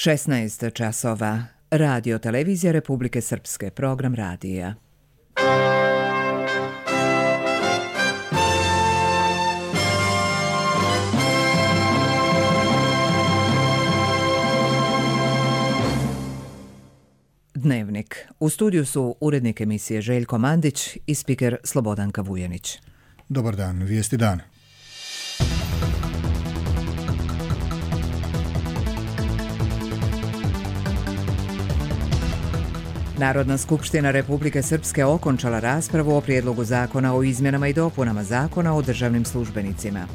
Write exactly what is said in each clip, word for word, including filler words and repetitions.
šesnaest časova. Radio Televizija Republike Srpske. Program radija. Dnevnik. U studiju su urednik emisije Željko Mandić i spiker Slobodanka Vujanić. Dobar dan, vijesti dana. Narodna skupština Republike Srpske okončala raspravu o prijedlogu zakona o izmjenama i dopunama zakona o državnim službenicima.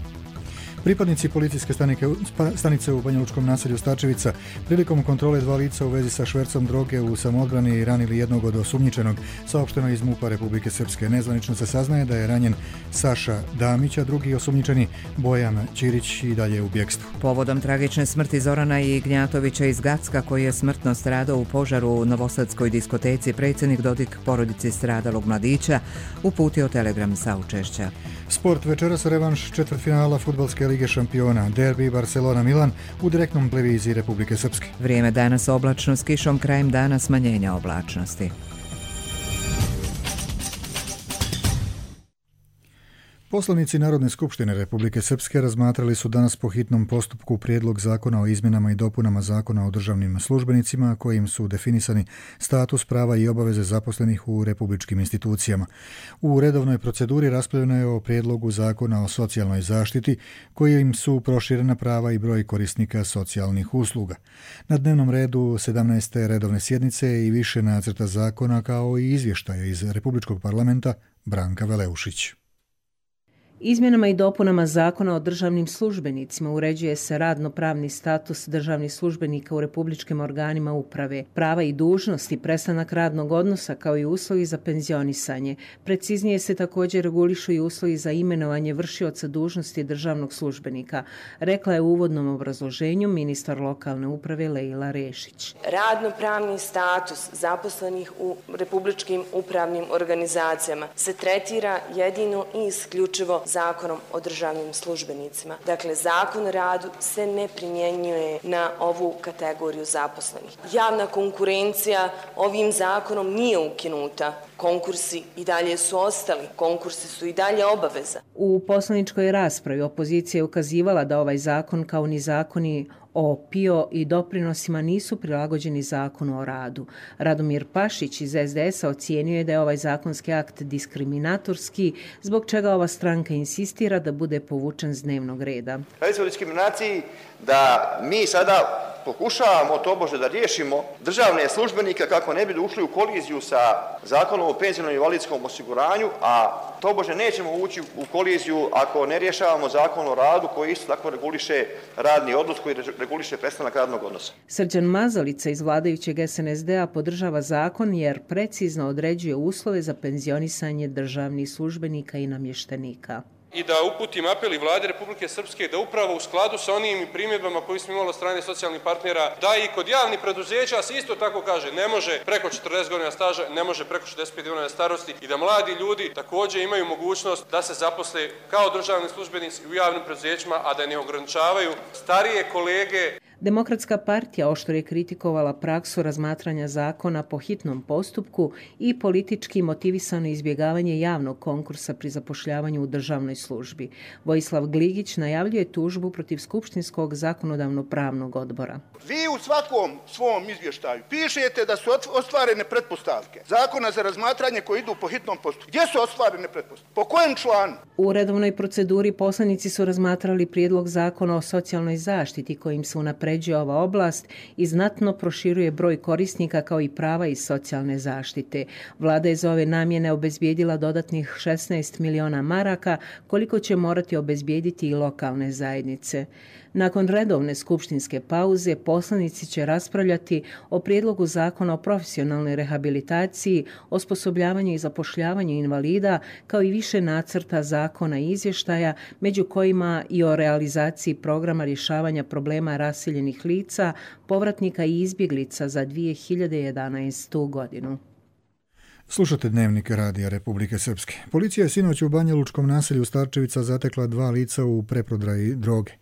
Pripadnici policijske stanice u Banjalučkom naselju Starčevica prilikom kontrole dva lica u vezi sa švercom droge u samoodbrani ranili jednog od osumnjičenog, saopšteno iz MUP-a Republike Srpske. Nezvanično se saznaje da je ranjen Saša Damić, a drugi osumnjičeni Bojan Ćirić i dalje u bjekstvu. Povodom tragične smrti Zorana Ignjatovića iz Gacka, koji je smrtno stradao u požaru u Novosadskoj diskoteci, predsjednik Dodik porodici stradalog mladića uputio telegram saučešća. Sport, večeras revanš četvrtfinala Fudbalske lige šampiona, derbi Barcelona-Milan u direktnom televiziji Republike Srpske. Vrijeme danas oblačno s kišom, krajem dana smanjenja oblačnosti. Poslanici Narodne skupštine Republike Srpske razmatrali su danas po hitnom postupku prijedlog zakona o izmjenama i dopunama zakona o državnim službenicima, kojim su definisani status, prava i obaveze zaposlenih u republičkim institucijama. U redovnoj proceduri raspravljeno je o prijedlogu zakona o socijalnoj zaštiti, kojim su proširena prava i broj korisnika socijalnih usluga. Na dnevnom redu sedamnaeste redovne sjednice i više nacrta zakona, kao i izvještaja iz Republičkog parlamenta. Branka Veleušić. Izmjenama i dopunama zakona o državnim službenicima uređuje se radno-pravni status državnih službenika u republičkim organima uprave, prava i dužnosti, prestanak radnog odnosa kao i uslovi za penzionisanje. Preciznije se također regulišu i uslovi za imenovanje vršioca dužnosti državnog službenika, rekla je u uvodnom obrazloženju ministar lokalne uprave Lejla Rešić. Radno-pravni status zaposlenih u republičkim upravnim organizacijama se tretira jedino i isključivo Zakonom o državnim službenicima. Dakle, Zakon o radu se ne primjenjuje na ovu kategoriju zaposlenih. Javna konkurencija ovim zakonom nije ukinuta. Konkursi i dalje su ostali. Konkursi su i dalje obaveza. U poslaničkoj raspravi opozicija je ukazivala da ovaj zakon, kao ni zakoni o P I O i doprinosima, nisu prilagođeni zakonu o radu. Radomir Pašić iz S D S-a ocijenio je da je ovaj zakonski akt diskriminatorski, zbog čega ova stranka insistira da bude povučen s dnevnog reda. Radi se o diskriminaciji da mi sada pokušavamo tobože da riješimo državne službenike kako ne bi ušli u koliziju sa Zakonom o penzionom i invalidskom osiguranju, a tobože nećemo ući u koliziju ako ne rješavamo Zakon o radu koji isto tako reguliše radni odnos, koji reguliše prestanak radnog odnosa. Srđan Mazalica iz vladajućeg S N S D-a podržava zakon jer precizno određuje uslove za penzionisanje državnih službenika i namještenika. I da uputim apel i Vlade Republike Srpske da upravo u skladu sa onim primjedbama koji smo imali od strane socijalnih partnera, da i kod javnih preduzeća se isto tako kaže, ne može preko četrdeset godina staža, ne može preko šezdeset pet godina starosti, i da mladi ljudi također imaju mogućnost da se zaposle kao državni službenici u javnim preduzećima, a da ne ograničavaju starije kolege. Demokratska partija oštro je kritikovala praksu razmatranja zakona po hitnom postupku i politički motivisano izbjegavanje javnog konkursa pri zapošljavanju u državnoj službi. Vojislav Gligić najavljuje tužbu protiv Skupštinskog zakonodavno-pravnog odbora. Vi u svakom svom izvještaju pišete da su ostvarene pretpostavke zakona za razmatranje koji idu po hitnom postupku. Gdje su ostvarene pretpostavke? Po kojem članu? U redovnoj proceduri poslanici su razmatrali prijedlog zakona o socijalnoj zaštiti, kojim se unapređuje ova oblast i znatno proširuje broj korisnika kao i prava iz socijalne zaštite. Vlada je za ove namjene obezbijedila dodatnih šesnaest miliona maraka, koliko će morati obezbijediti i lokalne zajednice. Nakon redovne skupštinske pauze poslanici će raspravljati o prijedlogu zakona o profesionalnoj rehabilitaciji, osposobljavanju i zapošljavanju invalida, kao i više nacrta zakona i izvještaja, među kojima i o realizaciji programa rješavanja problema raseljenih lica, povratnika i izbjeglica za dvije hiljade jedanaestu godinu. Slušate Dnevnik Radija Republike Srpske. Policija je sinoć u Banja Lučkom naselju Starčevica zatekla dva lica u preprodaji droge.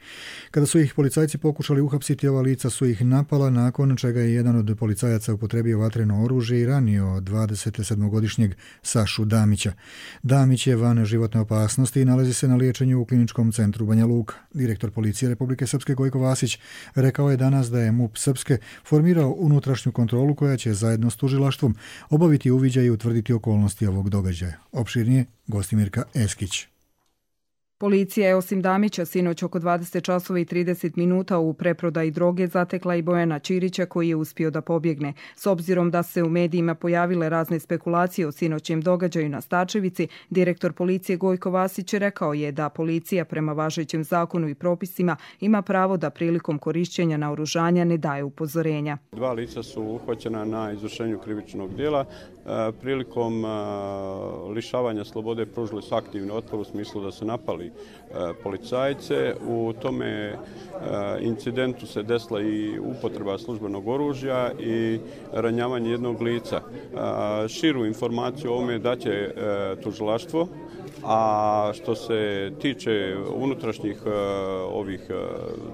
Kada su ih policajci pokušali uhapsiti, ova lica su ih napala, nakon čega je jedan od policajaca upotrebio vatreno oružje i ranio dvadesetsedmogodišnjeg Sašu Damića. Damić je van životne opasnosti i nalazi se na liječenju u kliničkom centru Banja Luka. Direktor policije Republike Srpske Gojko Vasić rekao je danas da je MUP Srpske formirao unutrašnju kontrolu koja će zajedno s tužilaštvom obaviti uviđaj i utvrditi okolnosti ovog događaja. Opširnije Gostimirka Eskić. Policija je osim Damića sinoć oko dvadeset časova i trideset minuta u preprodaji droge zatekla i Bojana Ćirića koji je uspio da pobjegne. S obzirom da se u medijima pojavile razne spekulacije o sinoćem događaju na Starčevici, direktor policije Gojko Vasić rekao je da policija prema važećem zakonu i propisima ima pravo da prilikom korišćenja naoružanja ne daje upozorenja. Dva lica su uhvaćena na izvršenju krivičnog djela. Prilikom lišavanja slobode pružili su aktivni otpor u smislu da su napali policajce. U tome incidentu se desila i upotreba službenog oružja i ranjavanje jednog lica. Širu informaciju o ovome daće tužilaštvo, a što se tiče unutrašnjih ovih,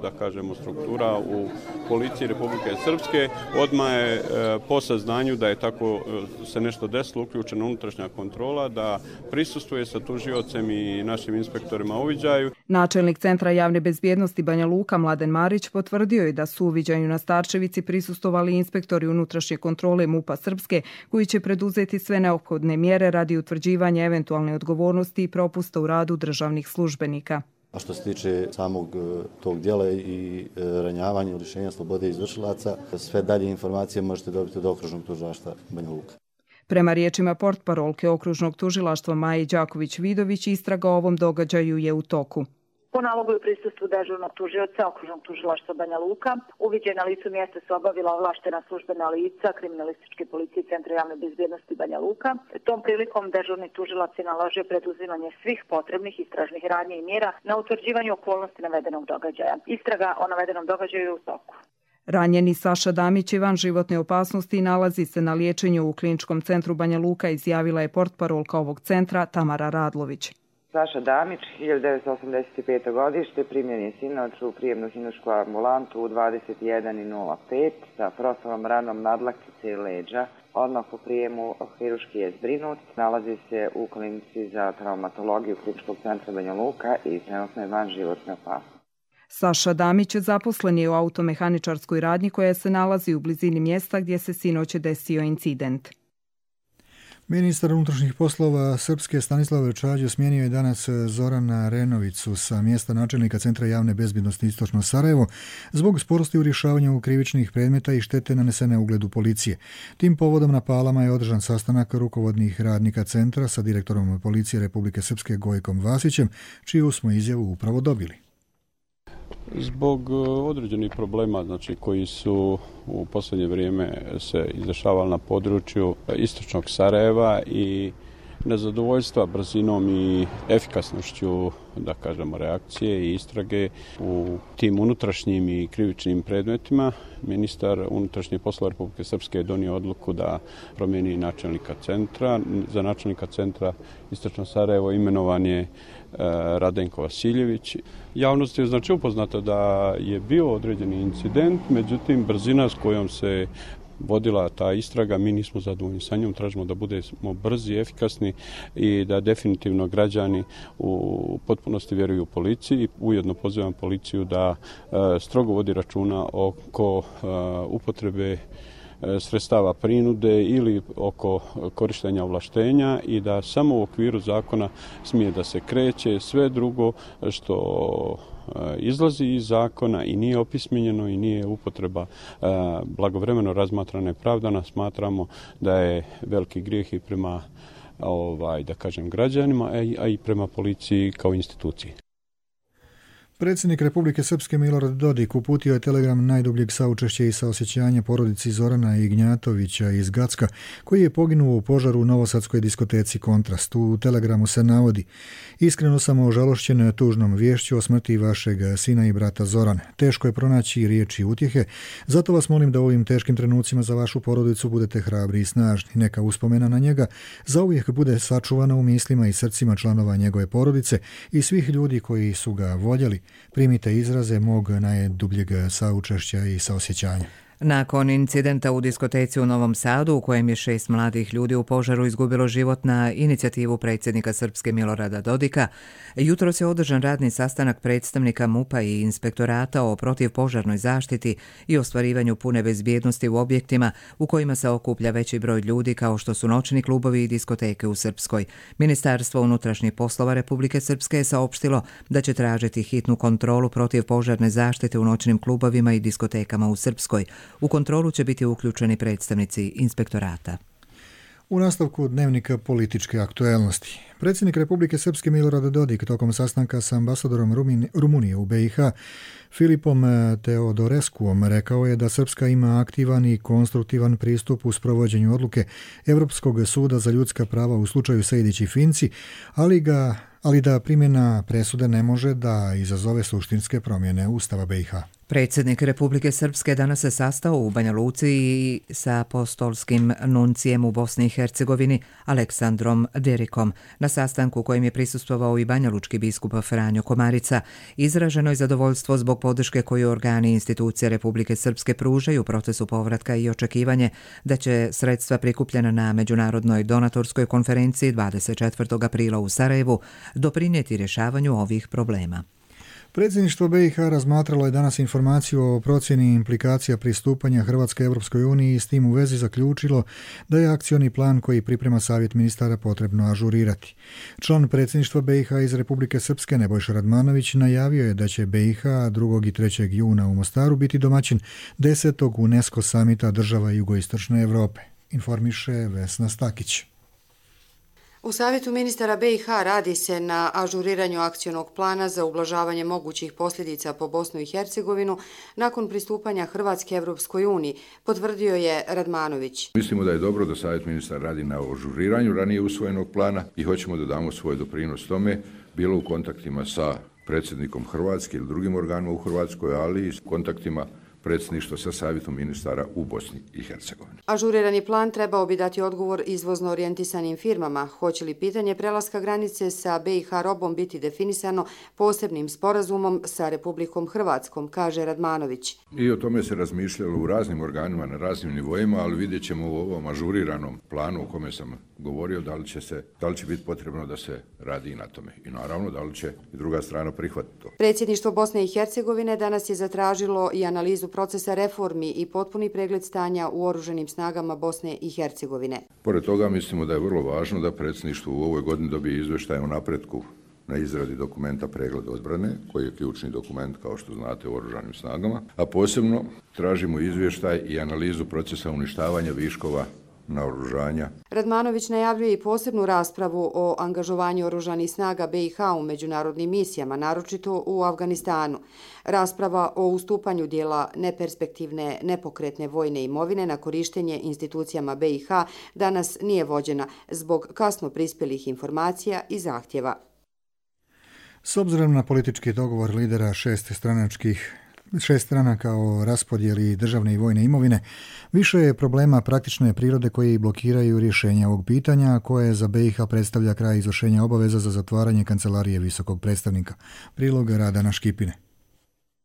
da kažemo, struktura u policiji Republike Srpske, odmah je po saznanju da je tako se nešto desilo uključena unutrašnja kontrola, da prisustvuje sa tužiocem i našim inspektorima uviđaju. Načelnik Centra javne bezbjednosti Banja Luka Mladen Marić potvrdio je da su uviđaju na Starčevici prisustvovali inspektori unutrašnje kontrole MUP-a Srpske koji će preduzeti sve neophodne mjere radi utvrđivanja eventualne odgovornosti i propusta u radu državnih službenika. A što se tiče samog tog djela i ranjavanja, lišenja slobode izvršilaca, sve dalje informacije možete dobiti od okružnog tužilaštva Banja Luka. Prema riječima portparolke okružnog tužilaštva Maje Đaković-Vidović, istraga o ovom događaju je u toku. Po nalogu i prisustvu dežurnog tužioca okružnog tužilaštva Banja Luka, uviđaj na licu mjesta su obavila ovlaštena službena lica kriminalističke policije Centra javne bezbjednosti Banja Luka. Tom prilikom dežurni tužilac je naložio preduzimanje svih potrebnih istražnih radnji i mjera na utvrđivanju okolnosti navedenog događaja. Istraga o navedenom događaju je u toku. Ranjeni Saša Damić je van životne opasnosti i nalazi se na liječenju u kliničkom centru Banja Luka, izjavila je portparolka ovog centra Tamara Radlović. Saša Damić, hiljadu devetsto osamdeset pete godište, primljen je sinoć u prijemnu hirušku ambulantu u dvadeset jedan nula pet sa prostavom ranom nadlaktice i leđa. Odmah po prijemu hiruški je zbrinut. Nalazi se u klinici za traumatologiju kliničkog centra Banja Luka i trenutno je van životne opasnosti. Saša Damić zaposlen je u automehaničarskoj radnji koja se nalazi u blizini mjesta gdje se sinoć desio incident. Ministar unutrašnjih poslova Srpske Stanislav Čađe smijenio je danas Zorana Renovicu sa mjesta načelnika Centra javne bezbjednosti Istočno Sarajevo zbog sporosti u rješavanju krivičnih predmeta i štete nanesene ugledu policije. Tim povodom na Palama je održan sastanak rukovodnih radnika centra sa direktorom policije Republike Srpske Gojkom Vasićem, čiju smo izjavu upravo dobili. Zbog određenih problema, znači, koji su u posljednje vrijeme se izdešavali na području istočnog Sarajeva i nezadovoljstva brzinom i efikasnošću, da kažemo, reakcije i istrage u tim unutrašnjim i krivičnim predmetima, ministar unutrašnjih poslova Republike Srpske je donio odluku da promijeni načelnika centra. Za načelnika centra Istočno Sarajevo imenovan je Radenko Vasiljević. Javnost je znači upoznata da je bio određeni incident, međutim brzina s kojom se vodila ta istraga, mi nismo zadovoljni sa njom, tražimo da budemo brzi, efikasni i da definitivno građani u potpunosti vjeruju policiji. Ujedno pozivam policiju da strogo vodi računa oko upotrebe sredstava prinude ili oko korištenja ovlaštenja i da samo u okviru zakona smije da se kreće. Sve drugo što izlazi iz zakona i nije opismenjeno i nije upotreba blagovremeno razmatrana i pravdana, smatramo da je veliki grijeh i prema, ovaj, da kažem, građanima, a i prema policiji kao instituciji. Predsjednik Republike Srpske Milorad Dodik uputio je telegram najdubljeg saučešća i saosjećanja porodici Zorana Ignjatovića iz Gacka, koji je poginuo u požaru u novosadskoj diskoteci Kontrast. U telegramu se navodi: iskreno sam ožalošćen tužnom viješću o smrti vašeg sina i brata Zoran. Teško je pronaći riječi utjehe, zato vas molim da u ovim teškim trenucima za vašu porodicu budete hrabri i snažni. Neka uspomena na njega zauvijek bude sačuvana u mislima i srcima članova njegove porodice i svih ljudi koji su ga voljeli. Primite izraze mog najdubljeg saučešća i saosjećanja. Nakon incidenta u diskoteci u Novom Sadu, u kojem je šest mladih ljudi u požaru izgubilo život na inicijativu predsjednika Srpske Milorada Dodika, jutros je održan radni sastanak predstavnika MUP-a i inspektorata o protivpožarnoj zaštiti i ostvarivanju pune bezbjednosti u objektima u kojima se okuplja veći broj ljudi kao što su noćni klubovi i diskoteke u Srpskoj. Ministarstvo unutrašnjih poslova Republike Srpske je saopštilo da će tražiti hitnu kontrolu protivpožarne zaštite u noćnim klubovima i diskotekama u Srpskoj. U kontrolu će biti uključeni predstavnici inspektorata. U nastavku dnevnika političke aktuelnosti. Predsjednik Republike Srpske Milorad Dodik tokom sastanka sa ambasadorom Rumunije u be i ha Filipom Teodorescuom rekao je da Srpska ima aktivan i konstruktivan pristup u sprovođenju odluke Evropskog suda za ljudska prava u slučaju Sejdić i Finci, ali ga ali da primjena presude ne može da izazove suštinske promjene Ustava be i ha. Predsjednik Republike Srpske danas se sastao u Banja Luci sa apostolskim nuncijem u Bosni i Hercegovini Aleksandrom Derikom. Na sastanku kojem je prisustvovao i banjalučki biskup Franjo Komarica, izraženo je zadovoljstvo zbog podrške koju organi i institucije Republike Srpske pružaju u procesu povratka i očekivanje da će sredstva prikupljena na međunarodnoj donatorskoj konferenciji dvadeset četvrtog aprila u Sarajevu doprinijeti rješavanju ovih problema. Predsjedništvo be i ha razmatralo je danas informaciju o procjeni implikacija pristupanja Hrvatske Europskoj uniji i s tim u vezi zaključilo da je akcioni plan koji priprema Savjet ministara potrebno ažurirati. Član predsjedništva be i ha iz Republike Srpske Nebojša Radmanović najavio je da će be i ha drugog i trećeg juna u Mostaru biti domaćin desetog UNESCO samita država jugoistočne Europe, informiše Vesna Stakić. U Savjetu ministara be i ha radi se na ažuriranju akcionog plana za ublažavanje mogućih posljedica po Bosnu i Hercegovinu nakon pristupanja Hrvatske Evropskoj uniji, potvrdio je Radmanović. Mislimo da je dobro da Savjet ministara radi na ažuriranju ranije usvojenog plana i hoćemo da damo svoj doprinos tome, bilo u kontaktima sa predsjednikom Hrvatske ili drugim organima u Hrvatskoj, ali i s kontaktima predsjedništva sa Savjetom ministara u Bosni i Hercegovini. Ažurirani plan trebao bi dati odgovor izvozno orijentisanim firmama. Hoće li pitanje prelaska granice sa be i ha robom biti definisano posebnim sporazumom sa Republikom Hrvatskom, kaže Radmanović. I o tome se razmišljalo u raznim organima na raznim nivoima, ali vidjet ćemo u ovom ažuriranom planu o kome sam govorio da li će, se, da li će biti potrebno da se radi i na tome. I naravno da li će i druga strana prihvatiti to. Predsjedništvo Bosne i Hercegovine danas je zatražilo i analizu procesa reformi i potpuni pregled stanja u oružanim snagama Bosne i Hercegovine. Pored toga mislimo da je vrlo važno da predsjedništvo u ovoj godini dobije izvještaj o napretku na izradi dokumenta pregled odbrane, koji je ključni dokument, kao što znate, u oružanim snagama, a posebno tražimo izvještaj i analizu procesa uništavanja viškova naoružanja. Radmanović najavljuje i posebnu raspravu o angažovanju oružanih snaga be i ha u međunarodnim misijama, naročito u Afganistanu. Rasprava o ustupanju dijela neperspektivne, nepokretne vojne imovine na korištenje institucijama be i ha danas nije vođena zbog kasno prispjelih informacija i zahtjeva. S obzirom na politički dogovor lidera šest stranačkih šest stranaka o raspodjeli državne i vojne imovine, više je problema praktične prirode koji blokiraju rješenja ovog pitanja, koje za be i ha predstavlja kraj izvršenja obaveza za zatvaranje kancelarije visokog predstavnika. Prilog Radana Škipine.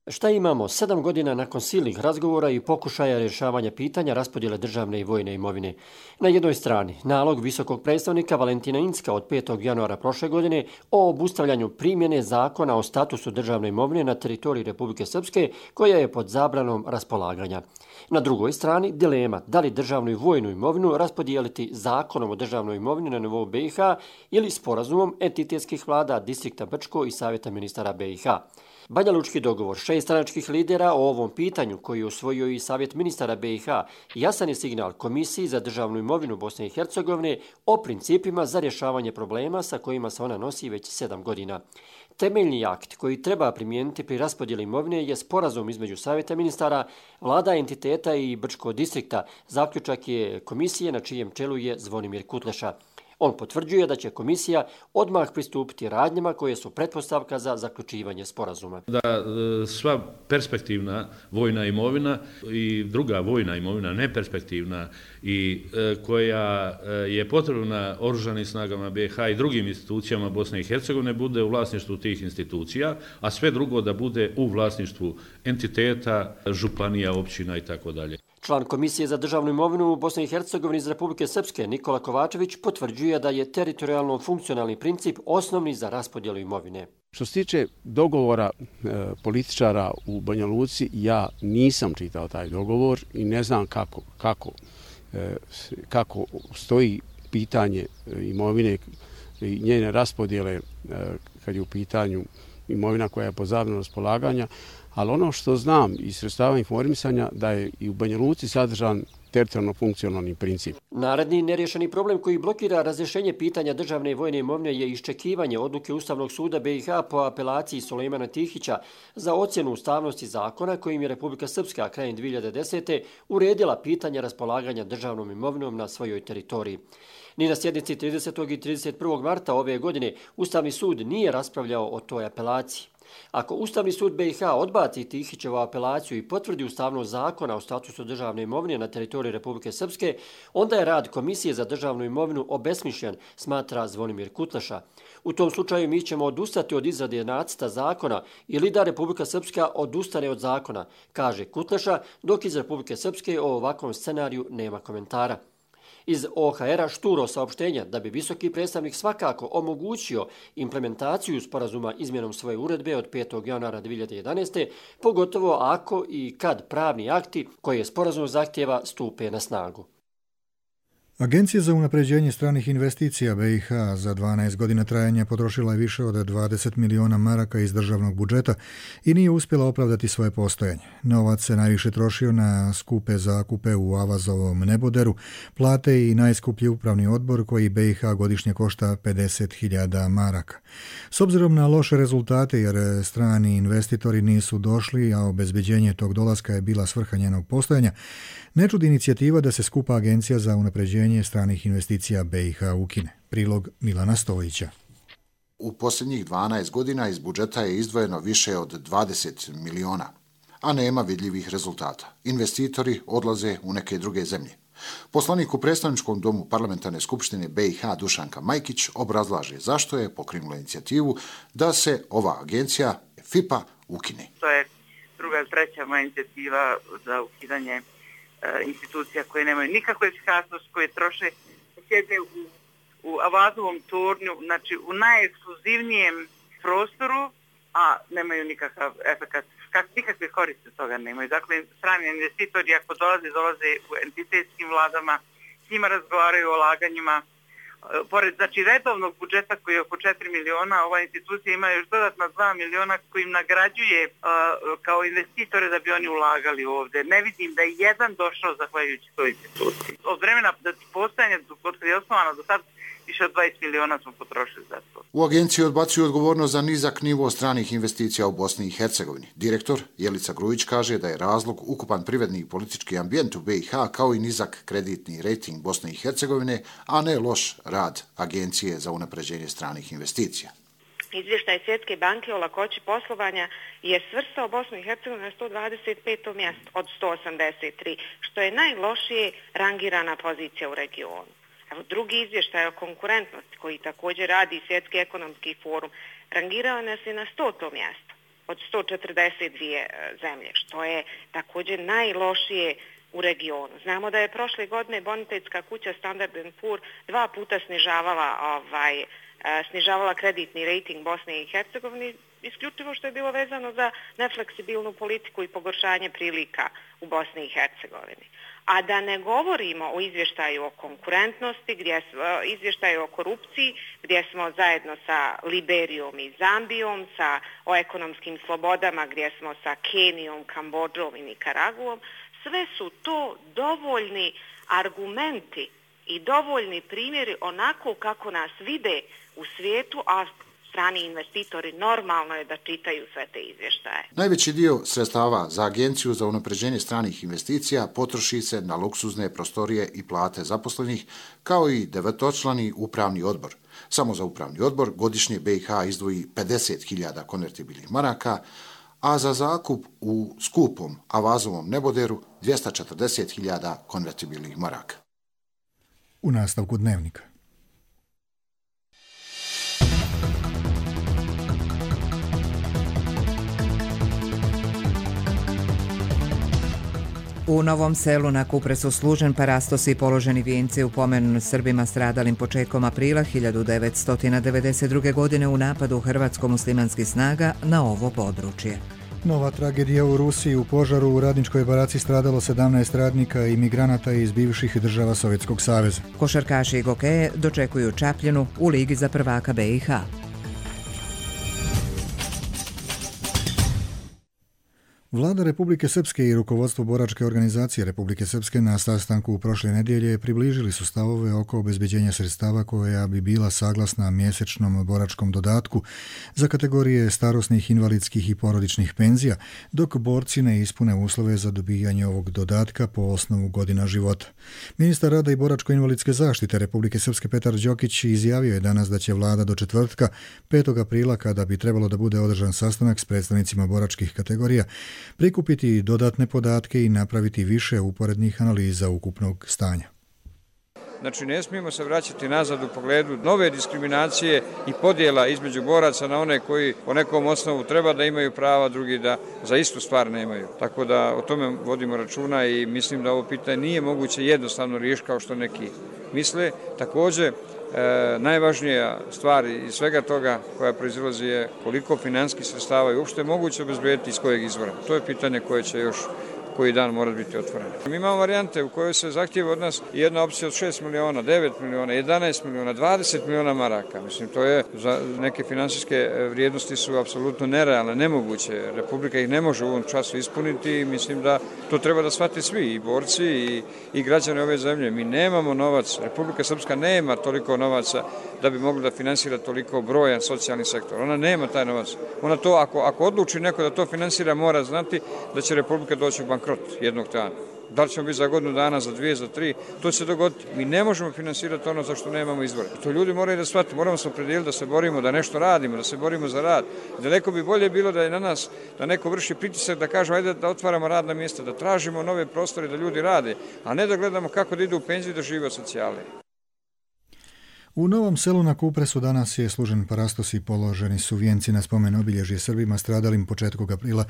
Šta imamo sedam godina nakon silnih razgovora i pokušaja rješavanja pitanja raspodjele državne i vojne imovine? Na jednoj strani nalog visokog predstavnika Valentina Incka od petog januara prošle godine o obustavljanju primjene zakona o statusu državne imovine na teritoriji Republike Srpske, koja je pod zabranom raspolaganja. Na drugoj strani dilema da li državnu i vojnu imovinu raspodijeliti zakonom o državnoj imovini na nivou be i ha ili sporazumom entitetskih vlada distrikta Brčko i Savjeta ministara be i ha. Banjalučki dogovor šest stranačkih lidera o ovom pitanju, koji je usvojio i Savjet ministara be i ha, jasan je signal Komisiji za državnu imovinu Bosne i Hercegovine o principima za rješavanje problema sa kojima se ona nosi već sedam godina. Temeljni akt koji treba primijeniti pri raspodjeli imovine je sporazum između Savjeta ministara, vlada entiteta i Brčkog distrikta. Zaključak je komisije na čijem čelu je Zvonimir Kutleša. On potvrđuje da će komisija odmah pristupiti radnjama koje su pretpostavka za zaključivanje sporazuma. Da sva perspektivna vojna imovina i druga vojna imovina, neperspektivna i koja je potrebna oružanim snagama B i H i drugim institucijama Bosne i Hercegovine bude u vlasništvu tih institucija, a sve drugo da bude u vlasništvu entiteta, županija, općina i tako dalje. Član Komisije za državnu imovinu u Bosni i Hercegovini iz Republike Srpske Nikola Kovačević potvrđuje da je teritorijalno funkcionalni princip osnovni za raspodjelu imovine. Što se tiče dogovora e, političara u Banja Luci, ja nisam čitao taj dogovor i ne znam kako, kako, e, kako stoji pitanje imovine i njene raspodjele e, kad je u pitanju imovina koja je pod zabranom raspolaganja. Ali ono što znam iz sredstava informisanja da je i u Banja Luci sadržan teritorijalno funkcionalni princip. Naredni nerješeni problem koji blokira razrješenje pitanja državne i vojne imovine je iščekivanje odluke Ustavnog suda B i H po apelaciji Sulejmana Tihića za ocjenu ustavnosti zakona kojim je Republika Srpska krajem dvije hiljade desete. uredila pitanje raspolaganja državnom imovinom na svojoj teritoriji. Ni na sjednici tridesetog i trideset prvog marta ove godine Ustavni sud nije raspravljao o toj apelaciji. Ako Ustavni sud B i H odbaci Tihićevu apelaciju i potvrdi ustavnost zakona o statusu državne imovine na teritoriji Republike Srpske, onda je rad Komisije za državnu imovinu obesmišljen, smatra Zvonimir Kutleša. U tom slučaju mi ćemo odustati od izrade nacrta zakona ili da Republika Srpska odustane od zakona, kaže Kutleša, dok iz Republike Srpske o ovakvom scenariju nema komentara. Iz O H R-a šturo saopštenja da bi visoki predstavnik svakako omogućio implementaciju sporazuma izmjenom svoje uredbe od petog januara dvije hiljade jedanaeste. pogotovo ako i kad pravni akti koje sporazum zahtjeva stupe na snagu. Agencija za unapređenje stranih investicija B i H za dvanaest godina trajanja potrošila je više od dvadeset miliona maraka iz državnog budžeta i nije uspjela opravdati svoje postojanje. Novac se najviše trošio na skupe zakupe u Avazovom neboderu, plate i najskuplji upravni odbor koji B i H godišnje košta pedeset hiljada maraka. S obzirom na loše rezultate jer strani investitori nisu došli, a obezbeđenje tog dolaska je bila svrha njenog postojanja, ne čudi inicijativa da se skupa Agencija za unapređenje stranih investicija B i H ukine. Prilog Milana Stojića. U posljednjih dvanaest godina iz budžeta je izdvojeno više od dvadeset miliona, a nema vidljivih rezultata. Investitori odlaze u neke druge zemlje. Poslanik u predstavničkom domu parlamentarne skupštine B i H Dušanka Majkić obrazlaže zašto je pokrenula inicijativu da se ova agencija F I P A ukine. To je druga ili treća moja inicijativa za ukidanje institucija koje nemaju nikakvu efikasnost, koje troše, sjede u, u Avazovom tornju, znači u najekskluzivnijem prostoru, a nemaju nikakav efekat, nikakve koriste toga nemaju. Dakle, strani investitori ako dolaze, dolaze u entitetskim vladama, s njima razgovaraju o ulaganjima. Pored znači, redovnog budžeta koji je oko četiri miliona, ova institucija ima još dodatna dva miliona kojim nagrađuje uh, kao investitore da bi oni ulagali ovdje. Ne vidim da je jedan došao zahvaljujući toj instituciji. Od vremena da postojanje, od kada je osnovano do sad, više od dvadeset miliona smo potrošili za to. U agenciji odbacuju odgovornost za nizak nivo stranih investicija u Bosni i Hercegovini. Direktor Jelica Grujić kaže da je razlog ukupan privredni i politički ambijent u B i H kao i nizak kreditni rejting Bosne i Hercegovine, a ne loš rad Agencije za unapređenje stranih investicija. Izvještaj Svjetske banke o lakoći poslovanja je svrstao Bosnu i Hercegovinu na sto dvadeset peto mjesto od sto osamdeset tri, što je najlošije rangirana pozicija u regionu. Evo, drugi izvještaj o konkurentnosti koji također radi Svjetski ekonomski forum rangirao nas je na stoto mjesto od sto četrdeset dvije zemlje, što je također najlošije u regionu. Znamo da je prošle godine bonitetska kuća Standard and Poor dva puta snižavala, ovaj, snižavala kreditni rejting Bosne i Hercegovine, isključivo što je bilo vezano za nefleksibilnu politiku i pogoršanje prilika u Bosni i Hercegovini. A da ne govorimo o izvještaju o konkurentnosti, gdje, izvještaju o korupciji, gdje smo zajedno sa Liberijom i Zambijom, sa, o ekonomskim slobodama, gdje smo sa Kenijom, Kambodžom i Nikaraguom, sve su to dovoljni argumenti i dovoljni primjeri onako kako nas vide u svijetu, a strani investitori, normalno je da čitaju sve te izvještaje. Najveći dio sredstava za Agenciju za unapređenje stranih investicija potroši se na luksuzne prostorije i plate zaposlenih, kao i devetočlani upravni odbor. Samo za upravni odbor godišnje B i H izdvoji pedeset hiljada konvertibilnih maraka, a za zakup u skupom Avazovom neboderu dvjesto četrdeset hiljada konvertibilnih maraka. U nastavku dnevnika. U Novom Selu na Kupresu služen parastosi i položeni vijenci u pomen Srbima stradalim početkom aprila hiljadu devetsto devedeset druge. godine u napadu hrvatsko-muslimanskih snaga na ovo područje. Nova tragedija u Rusiji. U požaru u radničkoj baraci stradalo sedamnaest radnika i migranata iz bivših država Sovjetskog saveza. Košarkaši i gokeje dočekuju Čapljinu u Ligi za prvaka B i H. Vlada Republike Srpske i rukovodstvo boračke organizacije Republike Srpske na sastanku u prošle nedjelje približili su stavove oko obezbeđenja sredstava koja bi bila saglasna mjesečnom boračkom dodatku za kategorije starosnih, invalidskih i porodičnih penzija, dok borci ne ispune uslove za dobijanje ovog dodatka po osnovu godina života. Ministar rada i boračko-invalidske zaštite Republike Srpske Petar Đokić izjavio je danas da će vlada do četvrtka, petog aprila, kada bi trebalo da bude održan sastanak s predstavnicima boračkih kategorija, prikupiti dodatne podatke i napraviti više uporednih analiza ukupnog stanja. Znači, ne smijemo se vraćati nazad u pogledu nove diskriminacije i podjela između boraca na one koji po nekom osnovu treba da imaju prava, drugi da za istu stvar nemaju. Tako da o tome vodimo računa i mislim da ovo pitanje nije moguće jednostavno riješiti kao što neki misle. Također, E, najvažnija stvar iz svega toga koja proizilazi je koliko financijskih sredstava je uopšte moguće obezbediti iz kojeg izvora. To je pitanje koje će još koji dan mora biti otvoreno. Mi imamo varijante u kojoj se zahtijeva od nas jedna opcija od šest miliona, devet miliona, jedanaest miliona, dvadeset miliona maraka. Mislim, to je za neke finansijske vrijednosti su apsolutno nerealne, nemoguće. Republika ih ne može u ovom času ispuniti i mislim da to treba da shvate svi, i borci i, i građani ove zemlje. Mi nemamo novac, Republika Srpska nema toliko novaca da bi mogla da finansira toliko brojan socijalni sektor. Ona nema taj novac. Ona to, ako, ako odluči neko da to finansira, mora znati da će Republika doći u bankrot jednog dana. Da li ćemo biti za godinu dana, za dvije, za tri, to će se dogoditi. Mi ne možemo finansirati ono za što nemamo izvora. To ljudi moraju da shvate, moramo se opredijeliti da se borimo, da nešto radimo, da se borimo za rad. Daleko bi bolje bilo da je na nas, da neko vrši pritisak, da kažemo ajde da otvaramo radna mjesta, da tražimo nove prostore, da ljudi rade, a ne da gledamo kako da idu u penziju da žive od socijale. U Novom Selu na Kupresu danas je služen parastos i položeni su vijenci na spomen obilježje Srbima stradalim početkom aprila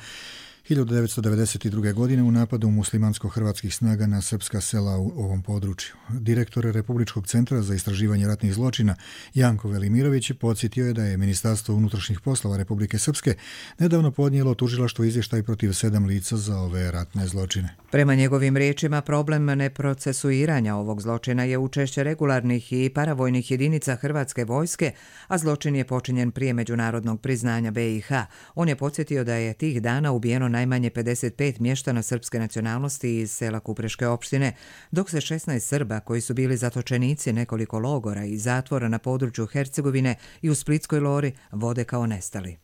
hiljadu devetsto devedeset druge. godine u napadu muslimansko-hrvatskih snaga na srpska sela u ovom području. Direktor Republičkog centra za istraživanje ratnih zločina Janko Velimirović podsjetio je da je Ministarstvo unutrašnjih poslova Republike Srpske nedavno podnijelo tužilaštvo izvještaj protiv sedam lica za ove ratne zločine. Prema njegovim riječima, problem neprocesuiranja ovog zločina je učešće regularnih i paravojnih jedinica Hrvatske vojske, a zločin je počinjen prije međunarodnog priznanja B i H. On je podsjetio da je tih dana ubijeno najmanje pedeset pet mještana srpske nacionalnosti iz sela Kupreške opštine, dok se šesnaest Srba koji su bili zatočenici nekoliko logora i zatvora na području Hercegovine i u Splitskoj Lori vode kao nestali.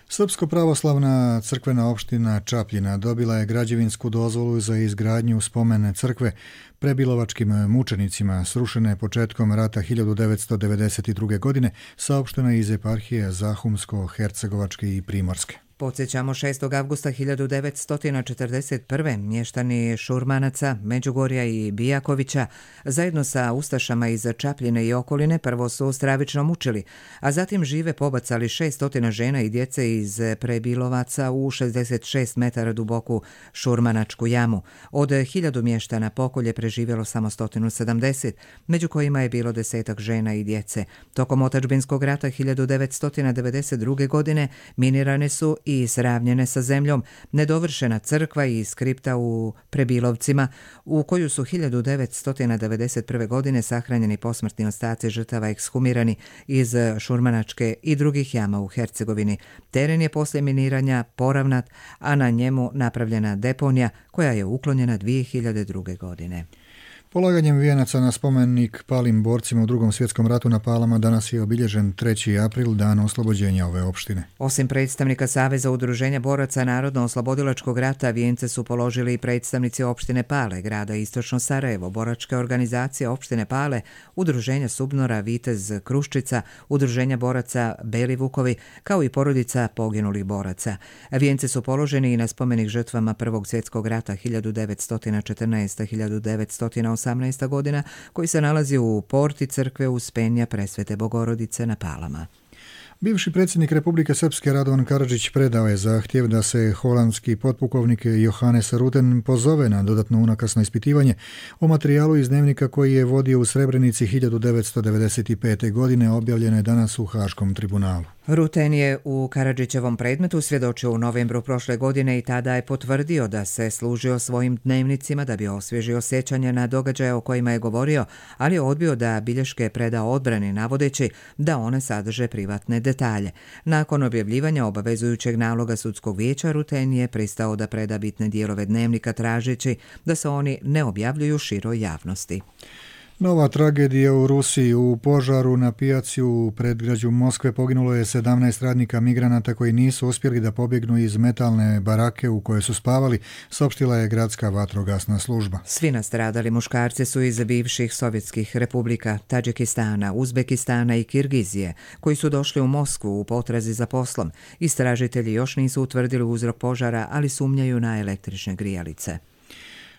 Srpsko-pravoslavna crkvena opština Čapljina dobila je građevinsku dozvolu za izgradnju spomene crkve prebilovačkim mučenicima srušene početkom rata hiljadu devetsto devedeset druge. godine, saopštena iz eparhije Zahumsko-Hercegovačke i Primorske. Podsjećamo, šestog avgusta hiljadu devetsto četrdeset prve. mještani Šurmanaca, Međugorja i Bijakovića zajedno sa ustašama iz Čapljine i okoline prvo su stravično mučili, a zatim žive pobacali šeststo žena i djece iz Prebilovaca u šezdeset šest metara duboku Šurmanačku jamu. Od hiljadu mještana pokolje preživjelo samo sto sedamdeset, među kojima je bilo desetak žena i djece. Tokom otadžbinskog rata hiljadu devetsto devedeset druge. godine minirane su i sravnjene sa zemljom nedovršena crkva i skripta u Prebilovcima, u koju su hiljadu devetsto devedeset prve. godine sahranjeni posmrtni ostaci žrtava ekshumirani iz Šurmanačke i drugih jama u Hercegovini. Teren je poslije miniranja poravnat, a na njemu napravljena deponija koja je uklonjena dvije hiljade druge. godine. Polaganjem vijenaca na spomenik palim borcima u drugom svjetskom ratu na Palama danas je obilježen treći april, dan oslobođenja ove opštine. Osim predstavnika Saveza udruženja boraca Narodno-oslobodilačkog rata, vijence su položili i predstavnici opštine Pale, grada Istočno Sarajevo, boračke organizacije opštine Pale, udruženja Subnora, Vitez Kruščica, udruženja boraca Beli Vukovi, kao i porodica poginulih boraca. Vijence su položeni i na spomenik žrtvama Prvog svjetskog rata hiljadu devetsto četrnaeste do hiljadu devetsto osamnaeste. godina, koji se nalazi u porti crkve Uspenja Presvete Bogorodice na Palama. Bivši predsjednik Republike Srpske Radovan Karadžić predao je zahtjev da se holandski potpukovnik Johannes Ruten pozove na dodatno unakrsno ispitivanje o materijalu iz dnevnika koji je vodio u Srebrenici hiljadu devetsto devedeset pete. godine, objavljeno je danas u Haškom tribunalu. Ruten je u Karadžićevom predmetu svjedočio u novembru prošle godine i tada je potvrdio da se služio svojim dnevnicima da bi osvježio sjećanje na događaje o kojima je govorio, ali je odbio da bilješke preda odbrani navodeći da one sadrže privatne detalje. Nakon objavljivanja obavezujućeg naloga sudskog vijeća, Ruten je pristao da preda bitne dijelove dnevnika tražeći da se oni ne objavljuju široj javnosti. Nova tragedija u Rusiji. U požaru na pijaci u predgrađu Moskve poginulo je sedamnaest radnika migranata koji nisu uspjeli da pobjegnu iz metalne barake u kojoj su spavali, saopštila je gradska vatrogasna služba. Svi nastradali muškarci su iz bivših sovjetskih republika, Tadžikistana, Uzbekistana i Kirgizije, koji su došli u Moskvu u potrazi za poslom. Istražitelji još nisu utvrdili uzrok požara, ali sumnjaju na električne grijalice.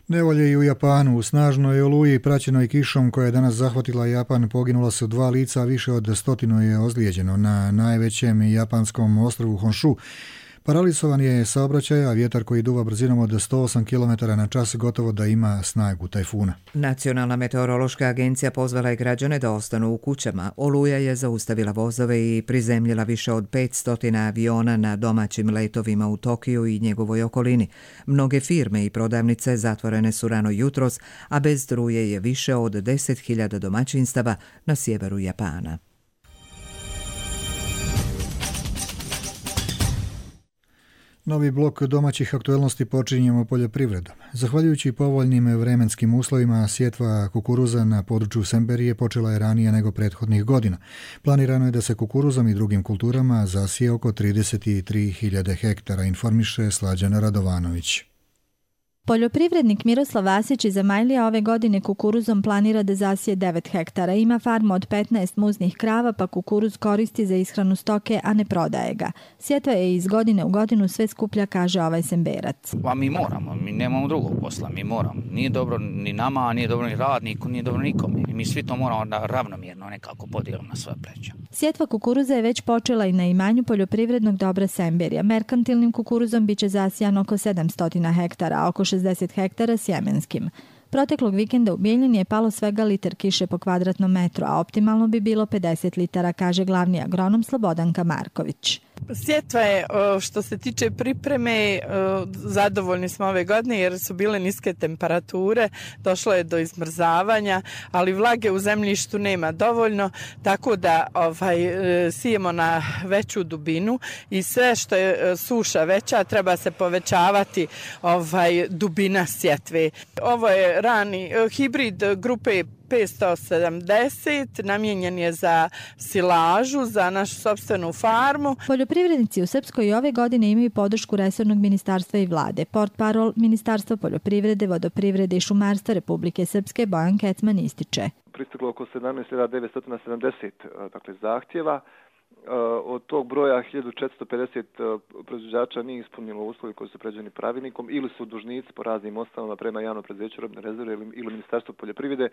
Nevolje i u Japanu. U snažnoj oluji praćenoj kišom koja je danas zahvatila Japan poginula su dva lica, a više od stotinu je ozlijeđeno. Na najvećem japanskom ostrvu Honshu paralizovan je saobraćaj, a vjetar koji duva brzinom od sto osam kilometara na čas gotovo da ima snagu tajfuna. Nacionalna meteorološka agencija pozvala je građane da ostanu u kućama. Oluja je zaustavila vozove i prizemljila više od petsto aviona na domaćim letovima u Tokiju i njegovoj okolini. Mnoge firme i prodavnice zatvorene su rano jutros, a bez struje je više od deset hiljada domaćinstava na sjeveru Japana. Novi blok domaćih aktuelnosti počinjemo poljoprivredom. Zahvaljujući povoljnim vremenskim uslovima, sjetva kukuruza na području Semberije počela je ranije nego prethodnih godina. Planirano je da se kukuruzom i drugim kulturama zasije oko trideset tri hiljade hektara, informiše Slađana Radovanović. Poljoprivrednik Miroslav Vasić iz Zamajlija ove godine kukuruzom planira da zasije devet hektara. Ima farmu od petnaest muznih krava, pa kukuruz koristi za ishranu stoke, a ne prodaje ga. Sjetva je iz godine u godinu sve skuplja, kaže ovaj Semberac. Pa mi moramo, mi nemamo drugog posla, mi moramo. Nije dobro ni nama, nije dobro ni radniku, nije dobro nikome. Mi svi to moramo da ravnomjerno nekako podijelimo na svoje pleća. Sjetva kukuruza je već počela i na imanju poljoprivrednog dobra Semberija. Merkantilnim kukuruzom biće zasijan oko sedamsto hektara, a oko šezdeset hektara sjemenskim. Proteklog vikenda u Bijeljini je palo svega litar kiše po kvadratnom metru, a optimalno bi bilo pedeset litara, kaže glavni agronom Slobodanka Marković. Sjetva je, što se tiče pripreme, zadovoljni smo ove godine jer su bile niske temperature, došlo je do izmrzavanja, ali vlage u zemljištu nema dovoljno, tako da ovaj, sijemo na veću dubinu i sve što je suša veća treba se povećavati ovaj, dubina sjetve. Ovo je rani hibrid grupe petsto sedamdeset, namijenjen je za silažu, za našu sopstvenu farmu. Poljoprivrednici u Srpskoj i ove godine imaju podršku resornog ministarstva i vlade. Portparol Ministarstva poljoprivrede, vodoprivrede i šumarstva Republike Srpske Bojan Kecman ističe. Pristiglo oko sedamnaest hiljada devetsto sedamdeset dakle, zahtjeva. Od tog broja hiljadu četiristo pedeset proizvođača nije ispunilo uslovi koji su predviđeni pravilnikom ili su dužnici po raznim osnovama prema javnom preduzeću robne rezerve ili Ministarstvu poljoprivrede.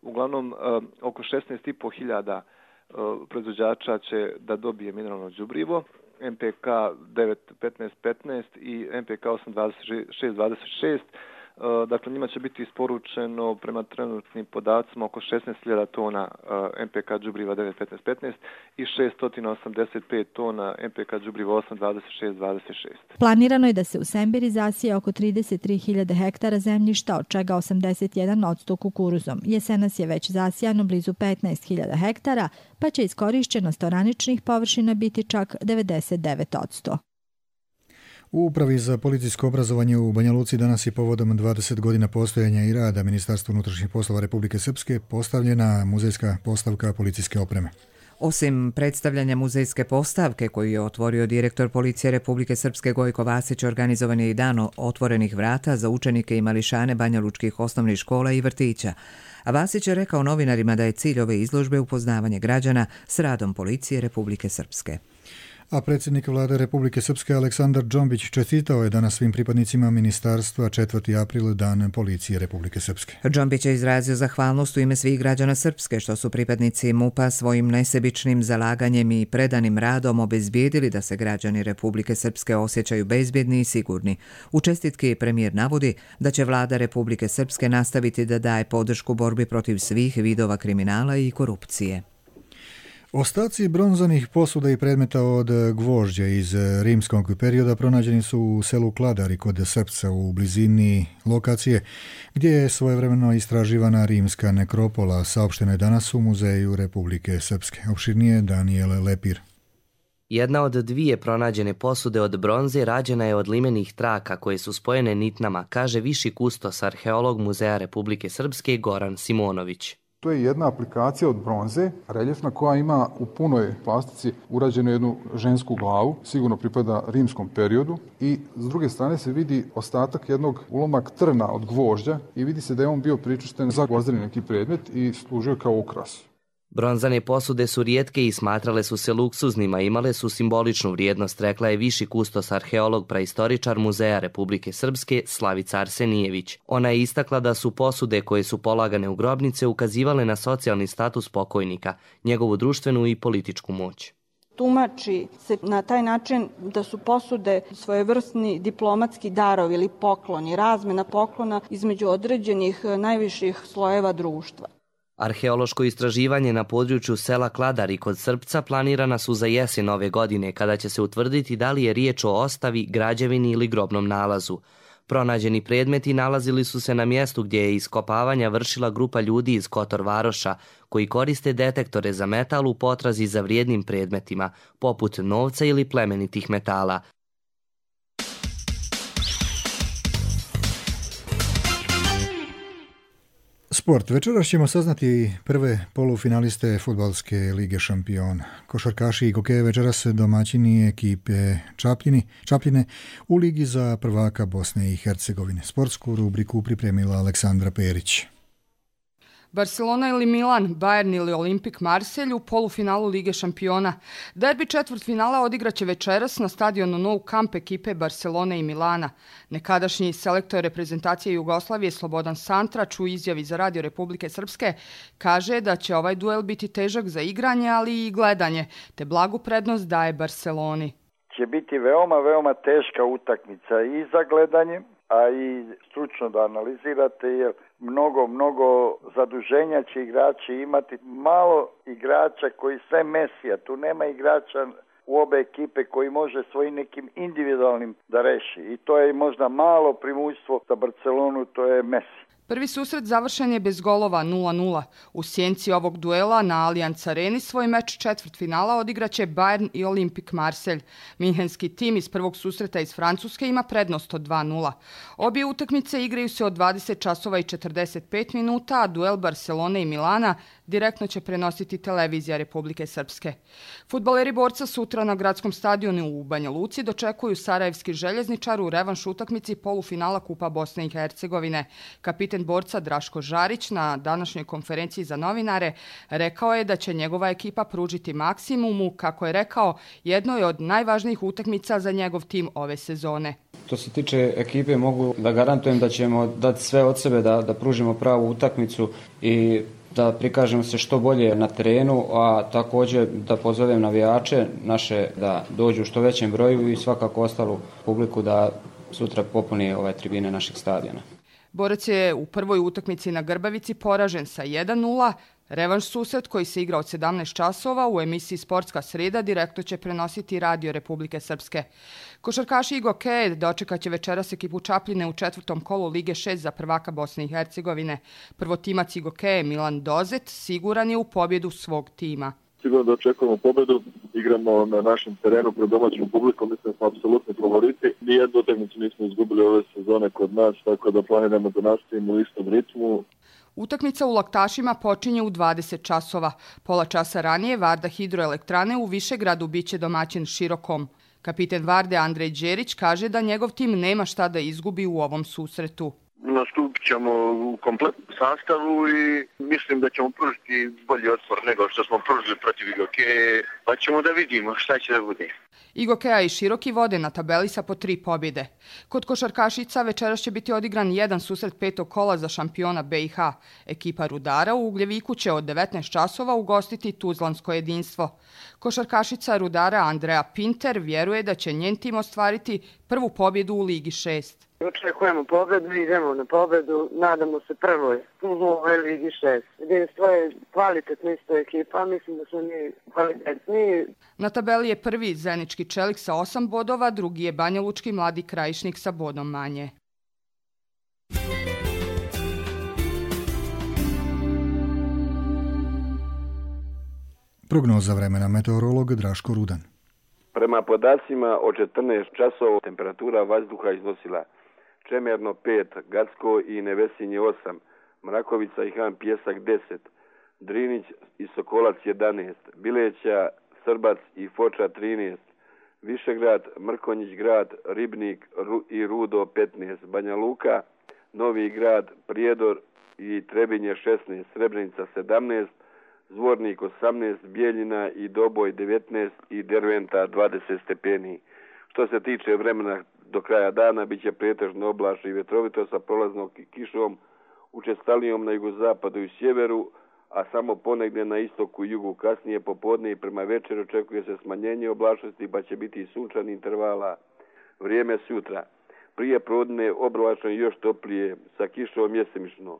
Uglavnom oko šesnaest i po hiljada proizvođača će da dobije mineralno đubrivo, M P K devet petnaest petnaest i M P K osam dvadeset šest dvadeset šest. Dakle, njima će biti isporučeno prema trenutnim podacima oko šesnaest hiljada tona M P K đubriva devet petnaest petnaest i šesto osamdeset pet tona M P K đubriva osam dvadeset šest dvadeset šest. Planirano je da se u Semberi zasije oko trideset tri hiljade hektara zemljišta, od čega osamdeset jedan posto kukuruzom. Jesenas je već zasijano blizu petnaest hiljada hektara, pa će iskorišćenost oraničnih površina biti čak devedeset devet posto. U Upravi za policijsko obrazovanje u Banja Luci danas je povodom dvadeset godina postojanja i rada Ministarstva unutrašnjih poslova Republike Srpske postavljena muzejska postavka policijske opreme. Osim predstavljanja muzejske postavke koju je otvorio direktor Policije Republike Srpske Gojko Vasić, organizovan je i dan otvorenih vrata za učenike i mališane banjalučkih osnovnih škola i vrtića. A Vasić je rekao novinarima da je cilj ove izložbe upoznavanje građana s radom Policije Republike Srpske. A predsjednik vlade Republike Srpske Aleksandar Džombić čestitao je danas svim pripadnicima ministarstva četvrti april dan Policije Republike Srpske. Džombić je izrazio zahvalnost u ime svih građana Srpske što su pripadnici MUP-a svojim nesebičnim zalaganjem i predanim radom obezbijedili da se građani Republike Srpske osjećaju bezbjedni i sigurni. U čestitki premijer navodi da će vlada Republike Srpske nastaviti da daje podršku borbi protiv svih vidova kriminala i korupcije. Ostaci bronzanih posuda i predmeta od gvožđa iz rimskog perioda pronađeni su u selu Kladari kod Srpca u blizini lokacije gdje je svojevremeno istraživana rimska nekropola, saopšteno je danas u Muzeju Republike Srpske. Opširnije Daniel Lepir. Jedna od dvije pronađene posude od bronze rađena je od limenih traka koje su spojene nitnama, kaže viši kustos arheolog Muzeja Republike Srpske Goran Simonović. To je jedna aplikacija od bronze, reljefna, koja ima u punoj plastici urađenu jednu žensku glavu, sigurno pripada rimskom periodu, i s druge strane se vidi ostatak jednog ulomak trna od gvožđa i vidi se da je on bio pričušten za gvozdeni neki predmet i služio kao ukras. Bronzane posude su rijetke i smatrale su se luksuznima, imale su simboličnu vrijednost, rekla je viši kustos arheolog praistoričar Muzeja Republike Srpske Slavica Arsenijević. Ona je istakla da su posude koje su polagane u grobnice ukazivale na socijalni status pokojnika, njegovu društvenu i političku moć. Tumači se na taj način da su posude svojevrsni diplomatski darovi ili pokloni, razmjena poklona između određenih najviših slojeva društva. Arheološko istraživanje na području sela Kladari kod Srpca planirana su za jesen ove godine, kada će se utvrditi da li je riječ o ostavi, građevini ili grobnom nalazu. Pronađeni predmeti nalazili su se na mjestu gdje je iskopavanja vršila grupa ljudi iz Kotor Varoša, koji koriste detektore za metal u potrazi za vrijednim predmetima, poput novca ili plemenitih metala. Sport. Večeras ćemo saznati prve polufinaliste Fudbalske lige šampiona. Košarkaši i hokeje večeras domaćini ekipe Čapljini, Čapljine u ligi za prvaka Bosne i Hercegovine. Sportsku rubriku pripremila Aleksandra Perić. Barcelona ili Milan, Bayern ili Olimpik Marselj u polufinalu Lige šampiona. Derbi četvrtfinala odigraće večeras na stadionu Nou Camp ekipe Barcelone i Milana. Nekadašnji selektor reprezentacije Jugoslavije Slobodan Santrač u izjavi za Radio Republike Srpske kaže da će ovaj duel biti težak za igranje, ali i gledanje, te blagu prednost daje Barceloni. Će biti veoma, veoma teška utakmica i za gledanje, a i stručno da analizirate, jer mnogo, mnogo zaduženja će igrači imati. Malo igrača koji sve Mesija, tu nema igrača u obe ekipe koji može svojim nekim individualnim da reši. I to je možda malo primućstvo za Barcelonu, to je Messi. Prvi susret završen je bez golova nula nula. U sjenci ovog duela na Allianz Areni svoj meč četvrtfinala odigraće Bayern i Olimpik Marselj. Minhenski tim iz prvog susreta iz Francuske ima prednost od dva nula. Obje utakmice igraju se od dvadeset časova i četrdeset pet minuta, a duel Barcelone i Milana direktno će prenositi televizija Republike Srpske. Fudbaleri Borca sutra na gradskom stadionu u Banja Luci dočekuju Sarajevski željezničar u revanš utakmici polufinala Kupa Bosne i Hercegovine. Kapiten Borca Draško Žarić na današnjoj konferenciji za novinare rekao je da će njegova ekipa pružiti maksimumu, kako je rekao, jednoj od najvažnijih utakmica za njegov tim ove sezone. Što se tiče ekipe, mogu da garantujem da ćemo dati sve od sebe da, da pružimo pravu utakmicu i da prikažemo se što bolje na terenu, a također da pozovem navijače naše da dođu u što većem broju i svakako ostalu publiku da sutra popuni ove tribine našeg stadiona. Borac je u prvoj utakmici na Grbavici poražen sa jedan nula. Revanš susret koji se igra od sedamnaest časova u emisiji Sportska sreda direktno će prenositi Radio Republike Srpske. Košarkaši i hokeje dočekat će večeras ekipu Čapljine u četvrtom kolu Lige šest za prvaka Bosne i Hercegovine. Prvotimac i hokeje Milan Dozet siguran je u pobjedu svog tima. Sigurno da očekujemo pobjedu, igramo na našem terenu pred domaćom publikom, mislim da smo apsolutni favoriti. nijednu utakmicu nismo izgubili ove sezone kod nas, tako da planiramo da nastavimo u istom ritmu. Utakmica u Laktašima počinje u dvadeset časova. Pola časa ranije Varda hidroelektrane u Višegradu biće domaćin Širokom. Kapiten Varde Andrej Đerić kaže da njegov tim nema šta da izgubi u ovom susretu. Nastupit ćemo u kompletnom sastavu i mislim da ćemo pružiti bolji otpor nego što smo pružili protiv Igokeje, pa ćemo da vidimo šta će da bude. Igokeja i Široki vode na tabeli sa po tri pobjede. Kod košarkašica večeras će biti odigran jedan susret petog kola za šampiona B i H. Ekipa Rudara u Ugljeviku će od devetnaest časova ugostiti Tuzlansko jedinstvo. Košarkašica Rudara Andrea Pinter vjeruje da će njen tim ostvariti prvu pobjedu u Ligi šest. Očekujemo pobjedu, idemo na pobjedu, nadamo se prvoj u ovoj Ligi šest. Jedinstvo je kvalitetna isto ekipa, mislim da smo mi kvalitetniji. Na tabeli je prvi Zenički Čelik sa osam bodova, drugi je Banjalučki Mladi Krajišnik sa bodom manje. Prognoza vremena, meteorolog Draško Rudan. Prema podacima od četrnaest časova temperatura vazduha iznosila Čemerno pet, Gacko i Nevesinje osam, Mrakovica i Han Pjesak deset, Drinić i Sokolac jedanaest, Bileća, Srbac i Foča trinaest, Višegrad, Mrkonjić grad, Ribnik i Rudo petnaest, Banja Luka, Novi grad, Prijedor i Trebinje šesnaest, Srebrenica sedamnaest, Zvornik osamnaest, Bijeljina i Doboj devetnaest i Derventa dvadeset stepeni. Što se tiče vremena do kraja dana, bit će pretežno oblačno i vetrovito sa prolaznom kišom, učestalijom na jugozapadu i sjeveru, a samo ponegdje na istoku i jugu. Kasnije popodne i prema večer očekuje se smanjenje oblačnosti, pa će biti i sunčani intervala. Vrijeme sutra. Prije podne oblačno i još toplije, sa kišom mjesemično.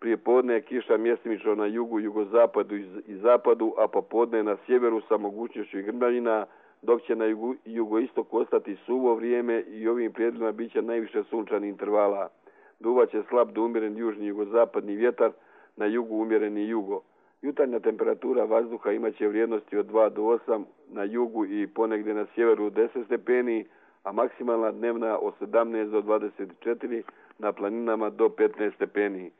Prije podne je kiša mjesemično na jugu, jugozapadu i zapadu, a popodne na sjeveru sa mogućnošću grmljavina, dok će na jugu, jugoistoku ostati suvo vrijeme i ovim prijedlima bit će najviše sunčanih intervala. Duvaće slab do umjeren južni jugozapadni vjetar, na jugu umjereni jugo. Jutarnja temperatura vazduha imaće vrijednosti od dva do osam, na jugu i ponegdje na sjeveru deset stepeni, a maksimalna dnevna od sedamnaest do dvadeset četiri, na planinama do petnaest stepeni.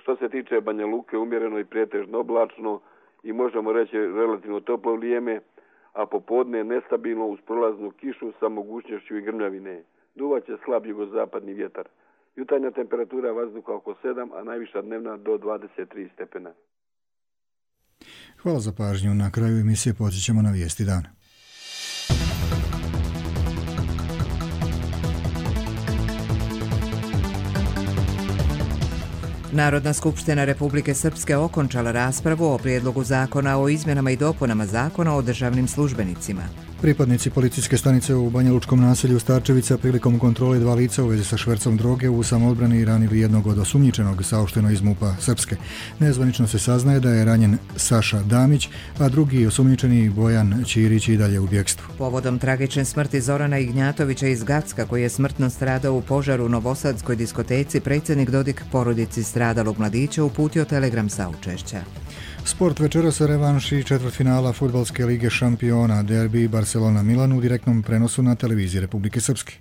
Što se tiče Banja Luke, umjereno i pretežno oblačno i možemo reći relativno toplo vrijeme, a popodne nestabilno uz prolaznu kišu sa mogućnošću i grmljavine. Duvaće slab jugozapadni vjetar. Jutarnja temperatura vazduha oko sedam, a najviša dnevna do dvadeset tri stepena. Hvala za pažnju. Na kraju emisije počećemo na vijesti dana. Narodna skupština Republike Srpske okončala raspravu o prijedlogu zakona o izmjenama i dopunama zakona o državnim službenicima. Pripadnici policijske stanice u Banjalučkom naselju Starčevica prilikom kontrole dva lica u vezi sa švercom droge u samoodbrani ranili jednog od osumnjičenog, saopšteno iz MUP-a Srpske. Nezvanično se saznaje da je ranjen Saša Damić, a drugi osumnjičeni Bojan Ćirić i dalje u bjekstvu. Povodom tragične smrti Zorana Ignjatovića iz Gacka, koji je smrtno stradao u požaru u Novosadskoj diskoteci, predsjednik Dodik porodici stradalog mladića uputio telegram saučešća. Sport večeras revanši četvrtfinala Fudbalske lige šampiona, derbi Barcelona-Milan u direktnom prenosu na televiziji Republike Srpske.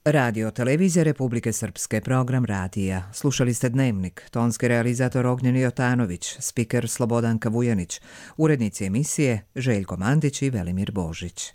Radio televizija Republike Srpske, program radija. Slušali ste Dnevnik, tonski realizator Ognjen Jotanović, spiker Slobodanka Vujanić, urednici emisije Željko Mandić i Velimir Božić.